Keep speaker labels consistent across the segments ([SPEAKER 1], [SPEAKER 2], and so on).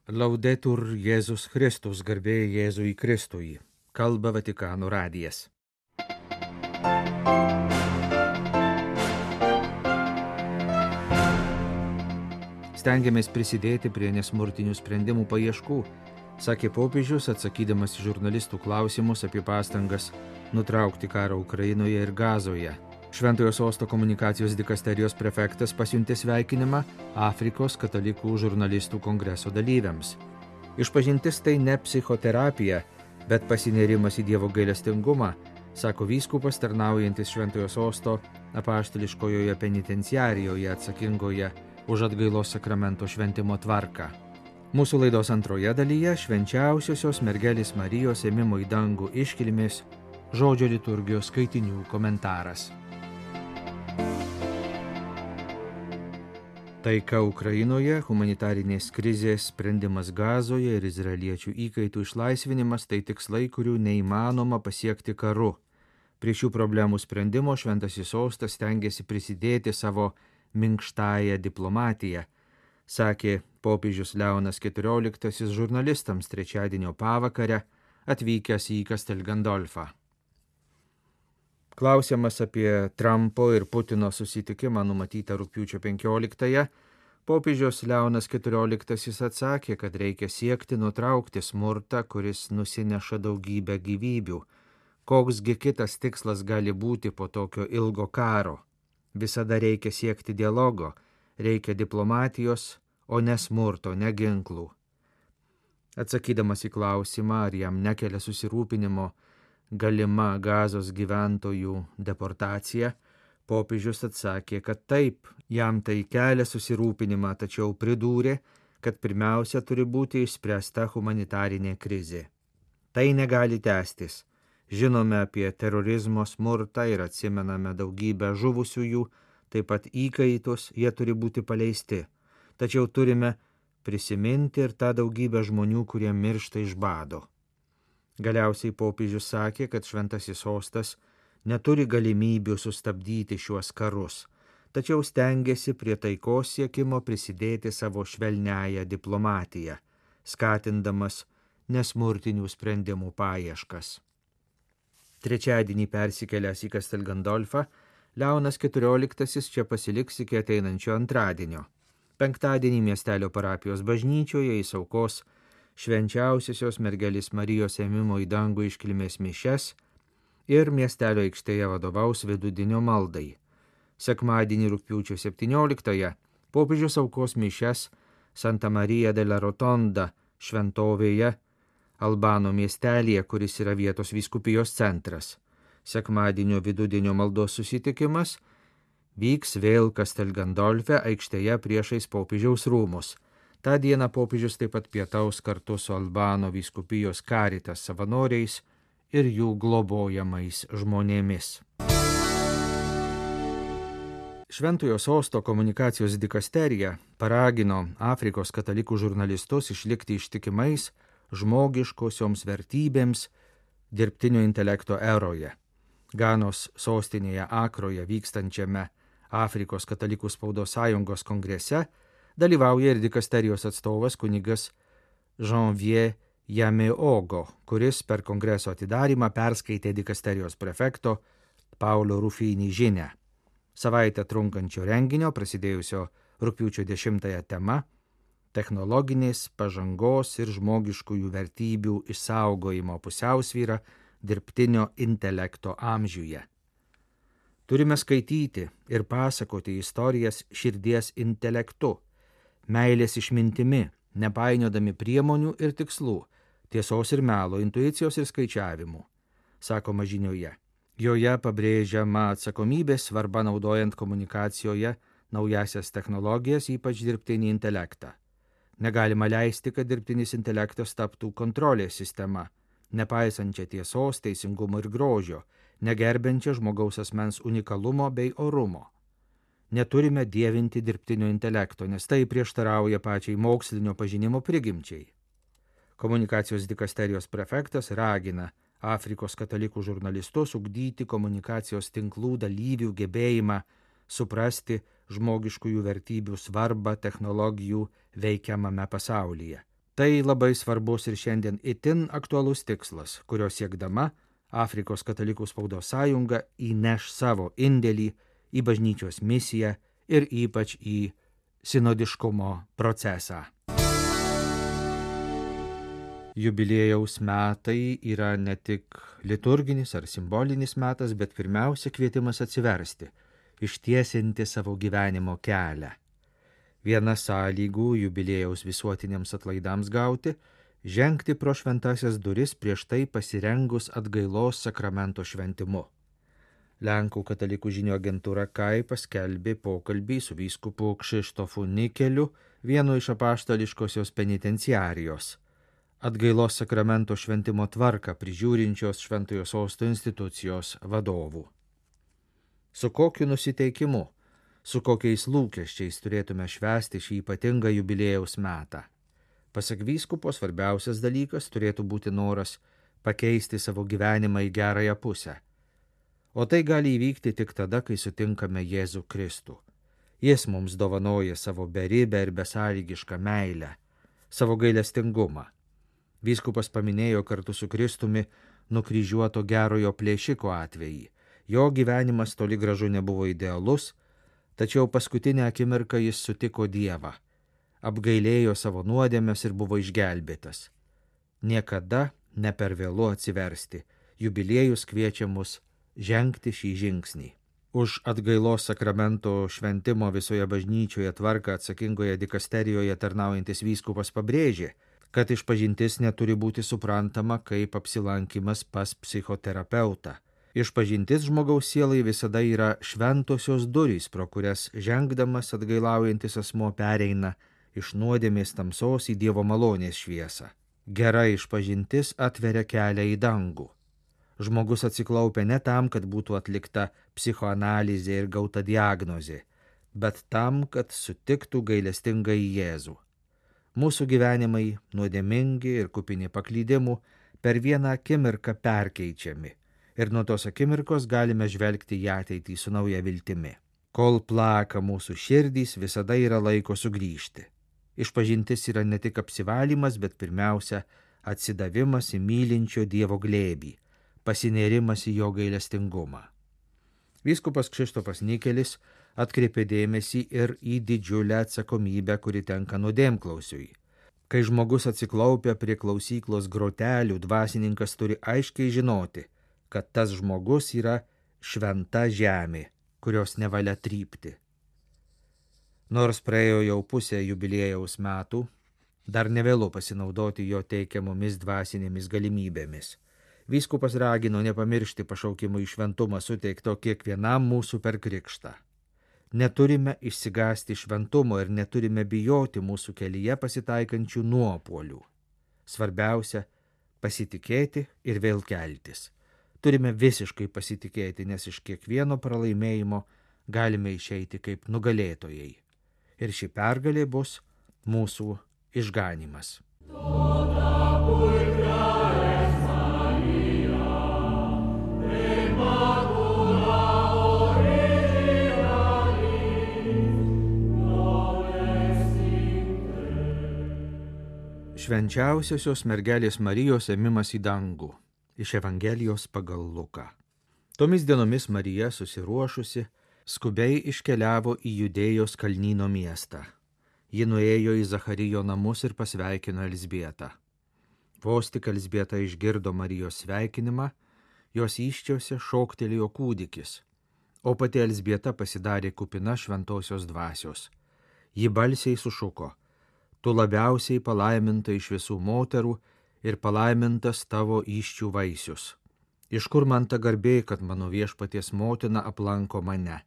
[SPEAKER 1] Laudetur Jėzus Kristus, garbė Jėzui Kristui. Kalba Vatikano radijas. Stengiamės prisidėti prie nesmurtinių sprendimų paieškų, sakė popiežius, atsakydamas į žurnalistų klausimus apie pastangas nutraukti karą Ukrainoje ir Gazoje. Šventojo Sosto komunikacijos dikasterijos prefektas pasiuntė sveikinimą Afrikos katalikų žurnalistų kongreso dalyviams. Išpažintis tai ne psichoterapija, bet pasinėrimas į Dievo gailestingumą, sako vyskupas tarnaujantis Šventojo Sosto apaštališkojoje penitenciarijoje atsakingoje už atgailos sakramento šventimo tvarką. Mūsų laidos antroje dalyje švenčiausiosios mergelės Marijos ėmimo į dangų iškilmės žodžio liturgijos skaitinių komentaras. Taika Ukrainoje, humanitarinės krizės sprendimas Gazoje ir izraeliečių įkaitų išlaisvinimas tai tikslai, kurių neįmanoma pasiekti karu. Prie šių problemų sprendimo Šventasis Sostas stengiasi prisidėti savo minkštąją diplomatiją, sakė popiežius Leonas XIV žurnalistams trečiadienio pavakarę atvykęs į Castel Gandolfą. Klausiamas apie Trumpo ir Putino susitikimą numatytą rugpjūčio 15-ąją, popiežius Leonas XIV atsakė, kad reikia siekti nutraukti smurtą, kuris nusineša daugybę gyvybių. Koksgi kitas tikslas gali būti po tokio ilgo karo? Visada reikia siekti dialogo, reikia diplomatijos, o ne smurto, ne ginklų. Atsakydamas į klausimą, ar jam nekelia susirūpinimo galima Gazos gyventojų deportacija, popiežius atsakė, kad taip, jam tai kelia susirūpinimą, tačiau pridūrė, kad pirmiausia turi būti išspręsta humanitarinė krizė. Tai negali tęstis. Žinome apie terorizmo smurtą ir atsimename daugybę žuvusiųjų, taip pat įkaitus, jie turi būti paleisti. Tačiau turime prisiminti ir tą daugybę žmonių, kurie miršta iš bado. Galiausiai popiežius sakė, kad Šventasis Sostas neturi galimybių sustabdyti šiuos karus, tačiau stengiasi prie taikos siekimo prisidėti savo švelniąją diplomatiją, skatindamas nesmurtinių sprendimų paieškas. Trečiadienį persikėlęs į Castel Gandolfą, Leonas XIV čia pasiliks iki ateinančio antradienio. Penktadienį miestelio parapijos bažnyčioje jis aukos švenčiausiosios mergelės Marijos ėmimo į dangų iškilmės mišias ir miestelio aikštėje vadovaus vidudienio maldai. Sekmadienį rugpjūčio 17-ąją popiežius aukos mišias Santa Marija della Rotonda šventovėje Albano miestelėje, kuris yra vietos vyskupijos centras. Sekmadienio vidudienio maldos susitikimas vyks vėl Castel Gandolfe aikštėje priešais popiežiaus rūmus. Ta diena popiežius taip pat pietaus kartu su Albano vyskupijos Caritas savanoriais ir jų globojamais žmonėmis. Šventojo Sosto komunikacijos dikasterija paragino Afrikos katalikų žurnalistus išlikti ištikimais žmogiškosioms vertybėms dirbtinio intelekto eroje. Ganos sostinėje Akroje vykstančiame Afrikos katalikų spaudos sąjungos kongrese dalyvauja ir dikasterijos atstovas kunigas Janvier Yameogo, kuris per kongreso atidarymą perskaitė dikasterijos prefekto Paulo Rufini žinią. Savaitę trunkančio renginio, prasidėjusio rugpjūčio 10-ąją tema – technologinės pažangos ir žmogiškųjų vertybių išsaugojimo pusiausvyra dirbtinio intelekto amžiuje. Turime skaityti ir pasakoti istorijas širdies intelektu, meilės išmintimi, nepainiodami priemonių ir tikslų, tiesos ir melo, intuicijos ir skaičiavimų, sakoma žinioje. Joje pabrėžiama atsakomybės svarba naudojant komunikacijoje naujasias technologijas, ypač dirbtinį intelektą. Negalima leisti, kad dirbtinis intelektas taptų kontrolės sistema, nepaisančia tiesos, teisingumo ir grožio, negerbiančia žmogaus asmens unikalumo bei orumo. Neturime dievinti dirbtinio intelekto, nes tai prieštarauja pačiai mokslinio pažinimo prigimčiai. Komunikacijos dikasterijos prefektas ragina Afrikos katalikų žurnalistus ugdyti komunikacijos tinklų dalyvių gebėjimą suprasti žmogiškųjų vertybių svarbą technologijų veikiamame pasaulyje. Tai labai svarbus ir šiandien itin aktualus tikslas, kurio siekdama Afrikos katalikų spaudos sąjunga įneš savo indėlį į bažnyčios misiją ir ypač į sinodiškumo procesą. Jubiliejaus metai yra ne tik liturginis ar simbolinis metas, bet pirmiausia kvietimas atsiversti, ištiesinti savo gyvenimo kelią. Viena sąlygų jubiliejaus visuotiniams atlaidams gauti – žengti pro šventasias duris prieš tai pasirengus atgailos sakramento šventimu. Lenkų katalikų žinių agentūra KAI paskelbė pokalbį su vyskupu Krzysztofu Nikeliu, vienu iš apaštališkosios penitenciarijos, atgailos sakramento šventimo tvarką prižiūrinčios Šventojo Sosto institucijos vadovų. Su kokiu nusiteikimu, su kokiais lūkesčiais turėtume švęsti šį ypatingą jubiliejaus metą? Pasak vyskupo, svarbiausias dalykas turėtų būti noras pakeisti savo gyvenimą į gerąją pusę. O tai gali įvykti tik tada, kai sutinkame Jėzų Kristų. Jis mums dovanoja savo beribę ir besąlygišką meilę, savo gailestingumą. Vyskupas paminėjo kartu su Kristumi nukryžiuoto gerojo plėšiko atvejį. Jo gyvenimas toli gražu nebuvo idealus, tačiau paskutinę akimirką jis sutiko Dievą, apgailėjo savo nuodėmes ir buvo išgelbėtas. Niekada ne per vėlu atsiversti, jubiliejus kviečia mus žengti šį žingsnį. Už atgailos sakramento šventimo visoje bažnyčioje tvarką atsakingoje dikasterijoje tarnaujantis vyskupas pabrėžė, kad išpažintis neturi būti suprantama kaip apsilankimas pas psichoterapeutą. Išpažintis žmogaus sielai visada yra šventosios durys, pro kurias žengdamas atgailaujantis asmuo pereina iš nuodėmės tamsos į Dievo malonės šviesą. Gera išpažintis atveria kelią į dangų. Žmogus atsiklaupia ne tam, kad būtų atlikta psichoanalizė ir gauta diagnozė, bet tam, kad sutiktų gailestingą į Jėzų. Mūsų gyvenimai, nuodėmingi ir kupini paklydimų, per vieną akimirką perkeičiami. Ir nuo tos akimirkos galime žvelgti į ateitį su nauja viltimi. Kol plaka mūsų širdys, visada yra laiko sugrįžti. Išpažintis yra ne tik apsivalymas, bet pirmiausia atsidavimas į mylinčio Dievo glėbį, pasinėrimas į jo gailestingumą. Vyskupas Krzysztofas Nikelis atkreipė dėmesį ir į didžiulę atsakomybę, kuri tenka nuodėmklausiui. Kai žmogus atsiklaupia prie klausyklos grotelių, dvasininkas turi aiškiai žinoti, kad tas žmogus yra šventa žemė, kurios nevalia trypti. Nors praėjo jau pusę jubiliejaus metų, dar nevėlu pasinaudoti jo teikiamomis dvasinėmis galimybėmis. Vyskupas ragino nepamiršti pašaukimų į šventumą suteikto kiekvienam mūsų per krikštą. Neturime išsigąsti šventumo ir neturime bijoti mūsų kelyje pasitaikančių nuopuolių. Svarbiausia – pasitikėti ir vėl keltis. Turime visiškai pasitikėti, nes iš kiekvieno pralaimėjimo galime išeiti kaip nugalėtojai. Ir ši pergalė bus mūsų išganymas. Švenčiausiosios mergelės Marijos ėmimas į dangų. Iš Evangelijos pagal Luką. Tomis dienomis Marija, susiruošusi, skubiai iškeliavo į Judėjos kalnyno miestą. Ji nuėjo į Zacharijo namus ir pasveikino Elzbietą. Vos tik Elzbieta išgirdo Marijos sveikinimą, jos įsčiose šoktelėjo kūdikis, o pati Elzbieta pasidarė kupina šventosios dvasios. Ji balsiai sušuko: Tu labiausiai palaiminta iš visų moterų ir palaimintas tavo įsčių vaisius. Iš kur man ta garbė, kad mano viešpaties motina aplanko mane?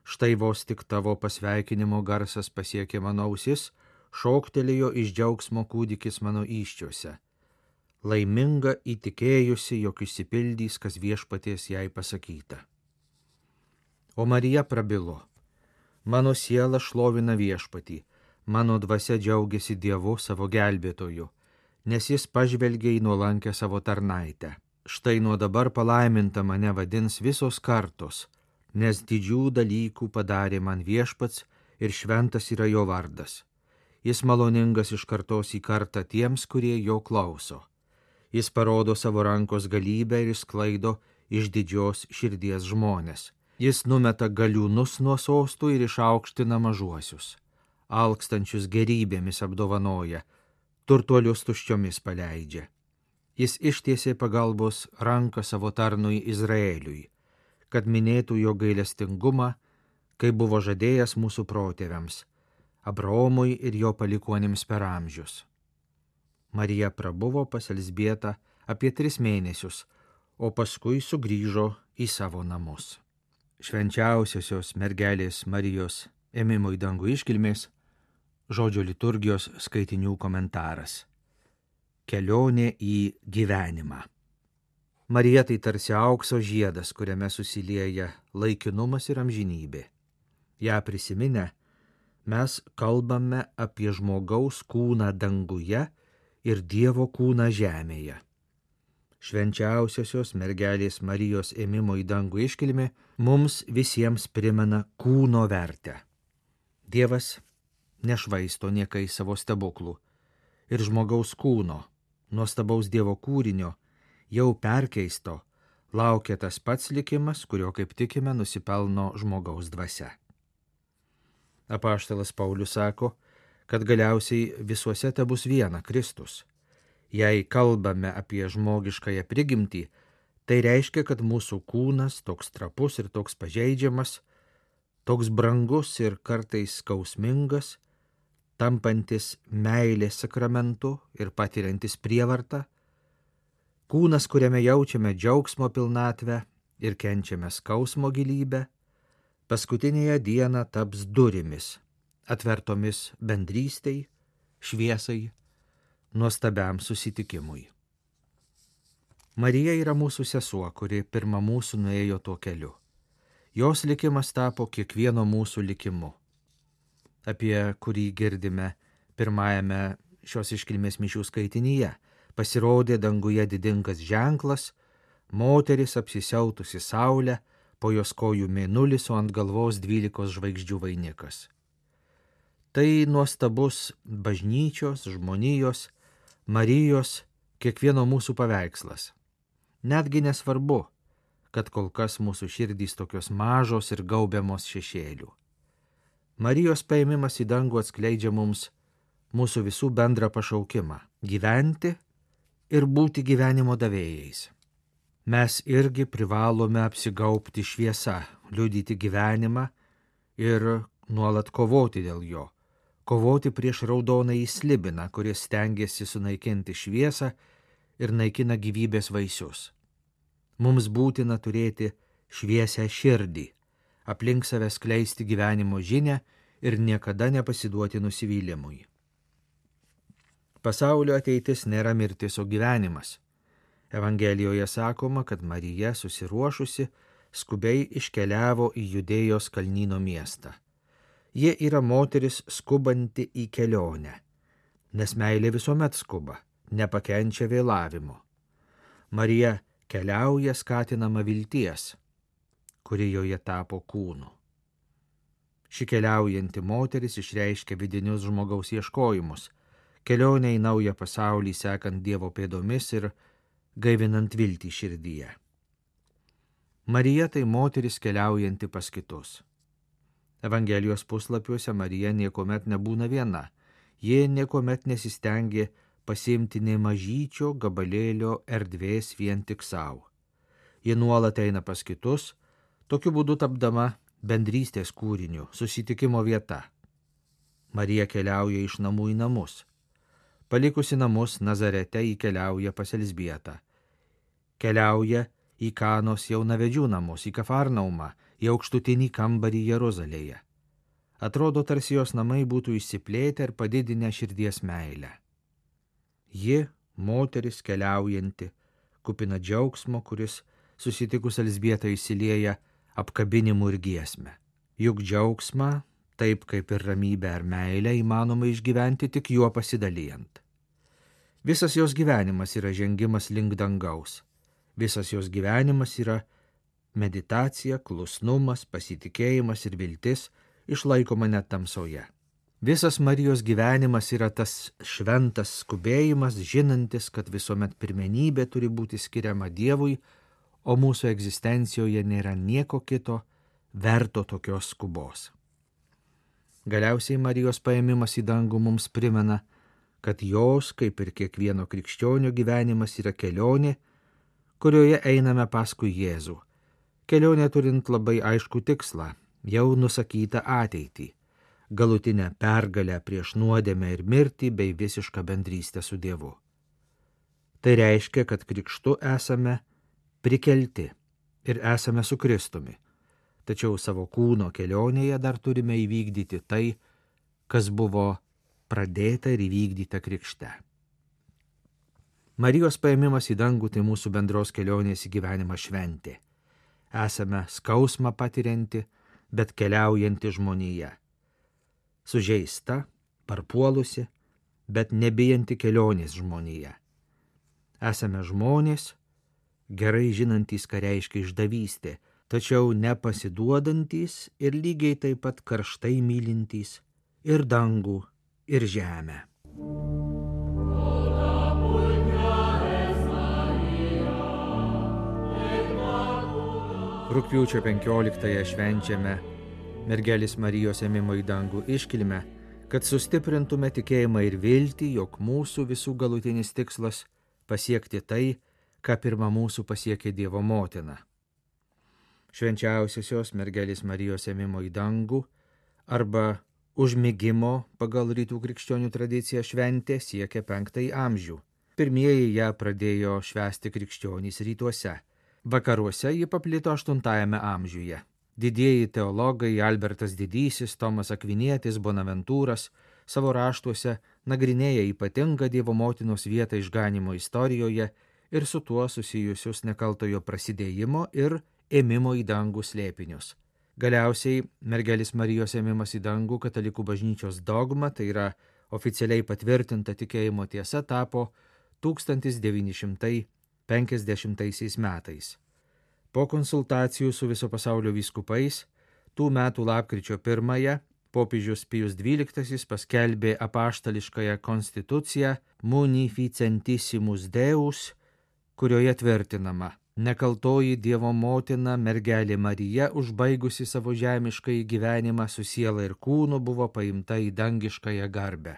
[SPEAKER 1] Štai vos tik tavo pasveikinimo garsas pasiekė mano ausis, šoktelėjo iš džiaugsmo kūdikis mano įsčiuose. Laiminga įtikėjusi, jog išsipildys, kas viešpaties jai pasakyta. O Marija prabilo: Mano siela šlovina viešpatį, mano dvasia džiaugiasi Dievu savo gelbėtoju, nes jis pažvelgė į nuolankę savo tarnaitę. Štai nuo dabar palaiminta mane vadins visos kartos, nes didžių dalykų padarė man viešpats ir šventas yra jo vardas. Jis maloningas iš kartos į kartą tiems, kurie jo klauso. Jis parodo savo rankos galybę ir išsklaido iš didžios širdies žmonės. Jis numeta galiūnus nuo sostų ir išaukština mažuosius. Alkstančius gerybėmis apdovanoja, turtuolius tuščiomis paleidžia. Jis ištiesė pagalbos ranką savo tarnui Izraeliui, kad minėtų jo gailestingumą, kai buvo žadėjęs mūsų protėviams, Abraomui ir jo palikuonims per amžius. Marija prabuvo pas Elzbietą apie 3 mėnesius, o paskui sugrįžo į savo namus. Švenčiausiosios mergelės Marijos ėmimo į dangų iškilmės, žodžio liturgijos skaitinių komentaras. Kelionė į gyvenimą. Marija tai tarsi aukso žiedas, kuriame susilieja laikinumas ir amžinybė. Ja prisiminę, mes kalbame apie žmogaus kūną danguje ir Dievo kūną žemėje. Švenčiausiosios mergelės Marijos ėmimo į dangų iškilmė mums visiems primena kūno vertę. Dievas nešvaisto niekais savo stebuklų ir žmogaus kūno, nuostabaus Dievo kūrinio, jau perkeisto, laukia tas pats likimas, kurio, kaip tikime, nusipelno žmogaus dvasia. Apaštalas Paulius sako, kad galiausiai visuose tebus viena Kristus. Jei kalbame apie žmogiškąją prigimtį, tai reiškia, kad mūsų kūnas toks trapus ir toks pažeidžiamas, toks brangus ir kartais skausmingas, tampantis meilės sakramentu ir patiriantis prievartą, kūnas, kuriame jaučiame džiaugsmo pilnatvę ir kenčiame skausmo gilybę, paskutinėje dieną taps durimis, atvertomis bendrystei, šviesai, nuostabiam susitikimui. Marija yra mūsų sesuo, kuri pirma mūsų nuėjo tuo keliu. Jos likimas tapo kiekvieno mūsų likimu, apie kurį girdime pirmajame šios iškilmės mišių skaitinyje. Pasirodė danguje didingas ženklas, moteris apsisiautusi saulę, po jos kojų mėnulis, o ant galvos 12 žvaigždžių vainikas. Tai nuostabus bažnyčios, žmonijos, Marijos, kiekvieno mūsų paveikslas. Netgi nesvarbu, kad kol kas mūsų širdys tokios mažos ir gaubiamos šešėlių. Marijos paėmimas į dangų atskleidžia mums mūsų visų bendrą pašaukimą – gyventi ir būti gyvenimo davėjais. Mes irgi privalome apsigaubti šviesa, liudyti gyvenimą ir nuolat kovoti dėl jo. Kovoti prieš raudonąjį slibiną, kuris stengiasi sunaikinti šviesą ir naikina gyvybės vaisius. Mums būtina turėti šviesią širdį, aplink save skleisti gyvenimo žinią ir niekada nepasiduoti nusivylimui. Pasaulio ateitis nėra mirtis, o gyvenimas. Evangelijoje sakoma, kad Marija susiruošusi skubiai iškeliavo į Judėjos kalnyno miestą. Ji yra moteris skubanti į kelionę, nes meilė visuomet skuba, nepakenčia vėlavimo. Marija keliauja skatinama vilties, kuri joje tapo kūnu. Ši keliaujanti moteris išreiškia vidinius žmogaus ieškojimus, kelionę į naują pasaulį sekant Dievo pėdomis ir gaivinant viltį širdyje. Marija tai moteris keliaujanti pas kitus. Evangelijos puslapiuose Marija niekuomet nebūna viena, ji niekuomet nesistengė pasiimti nė mažyčio gabalėlio erdvės vien tik savo. Ji nuolat eina pas kitus, tokiu būdu tapdama bendrystės kūriniu, susitikimo vieta. Marija keliauja iš namų į namus. Palikusi namus Nazarete ji keliauja pas Elzbietą. Keliauja į Kanos jaunavedžių namus, į Kafarnaumą, į aukštutinį kambarį Jeruzalėje. Atrodo, tarsi jos namai būtų išsiplėtę ir padidinę širdies meilę. Ji, moteris keliaujanti, kupina džiaugsmo, kuris susitikus Elzbietą įsilieja apkabinimu ir giesme. Juk džiaugsmą, taip kaip ir ramybę ar meilę, įmanoma išgyventi tik juo pasidalijant. Visas jos gyvenimas yra žengimas link dangaus. Visas jos gyvenimas yra meditacija, klusnumas, pasitikėjimas ir viltis, išlaikoma net tamsoje. Visas Marijos gyvenimas yra tas šventas skubėjimas, žinantis, kad visuomet pirmenybė turi būti skiriama Dievui, o mūsų egzistencijoje nėra nieko kito verto tokios skubos. Galiausiai Marijos paėmimas į dangų mums primena, kad jos, kaip ir kiekvieno krikščionio gyvenimas, yra kelionė, kurioje einame paskui Jėzų. Kelionė turint labai aiškų tikslą, jau nusakytą ateitį, galutinę pergalę prieš nuodėmę ir mirtį bei visišką bendrystę su Dievu. Tai reiškia, kad krikštu esame prikelti ir esame su Kristumi, tačiau savo kūno kelionėje dar turime įvykdyti tai, kas buvo pradėta ir įvykdyta krikšte. Marijos paėmimas į dangų tai mūsų bendros kelionės į gyvenimą šventė. Esame skausmą patirianti, bet keliaujanti žmonija. Sužeista, parpuolusi, bet nebijanti kelionės žmonija. Esame žmonės, gerai žinantys, ką reiškia išdavystė, tačiau nepasiduodantys ir lygiai taip pat karštai mylintys ir dangų, ir žemę. Rugpjūčio 15-ąją švenčiame mergelės Marijos ėmimo į dangų iškilmę, kad sustiprintume tikėjimą ir viltį, jog mūsų visų galutinis tikslas pasiekti tai, ką pirma mūsų pasiekė Dievo motina. Švenčiausiosios mergelės Marijos ėmimo į dangų arba užmigimo pagal rytų krikščionių tradiciją šventė siekia 5 amžių. Pirmieji ją pradėjo švęsti krikščionys rytuose. Vakaruose ji paplito 8 amžiuje. Didieji teologai Albertas Didysis, Tomas Akvinietis, Bonaventūras savo raštuose nagrinėja ypatingą Dievo motinos vietą išganymo istorijoje ir su tuo susijusius nekaltojo prasidėjimo ir ėmimo į dangų slėpinius. Galiausiai mergelės Marijos ėmimas į dangų katalikų bažnyčios dogma, tai yra oficialiai patvirtinta tikėjimo tiesa, tapo 1950 metais. Po konsultacijų su viso pasaulio vyskupais, tų metų lapkričio 1 popiežius Pijus XII paskelbė apaštališkąją konstituciją Munificentissimus Deus, kurioje tvirtinama: nekaltoji Dievo motina mergelė Marija, užbaigusi savo žemiškąjį gyvenimą su siela ir kūnu, buvo paimta į dangiškąją garbę.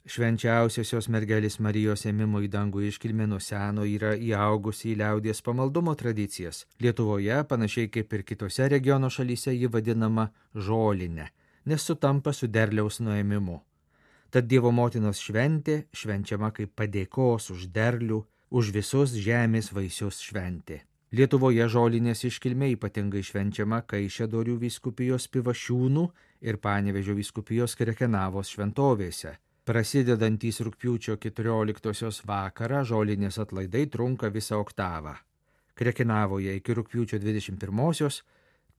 [SPEAKER 1] Švenčiausiosios mergelės Marijos ėmimo į dangų iškilmė nuo seno yra įaugusi į liaudies pamaldumo tradicijas. Lietuvoje, panašiai kaip ir kitose regiono šalyse, ji vadinama žolinė, nes sutampa su derliaus nuėmimu. Tad Dievo motinos šventė švenčiama kaip padėkos už derlių, už visus žemės vaisius šventė. Lietuvoje žolinės iškilmė ypatingai švenčiama Kaišiadorių vyskupijos Pivašiūnų ir Panevėžio vyskupijos Krekenavos šventovėse. Prasidedantys rugpjūčio 14 vakarą žolinės atlaidai trunka visą oktavą. Krekenavoje iki rugpjūčio 21,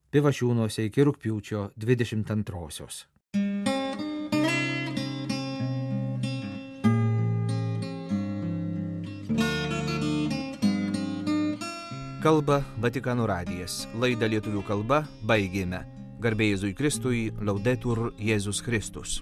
[SPEAKER 1] Pivašiūnuose iki rugpjūčio 22. Kalba Vatikano radijas. Laidą lietuvių kalba baigėme. Garbė Jėzui Kristui, Laudetur Jėzus Kristus.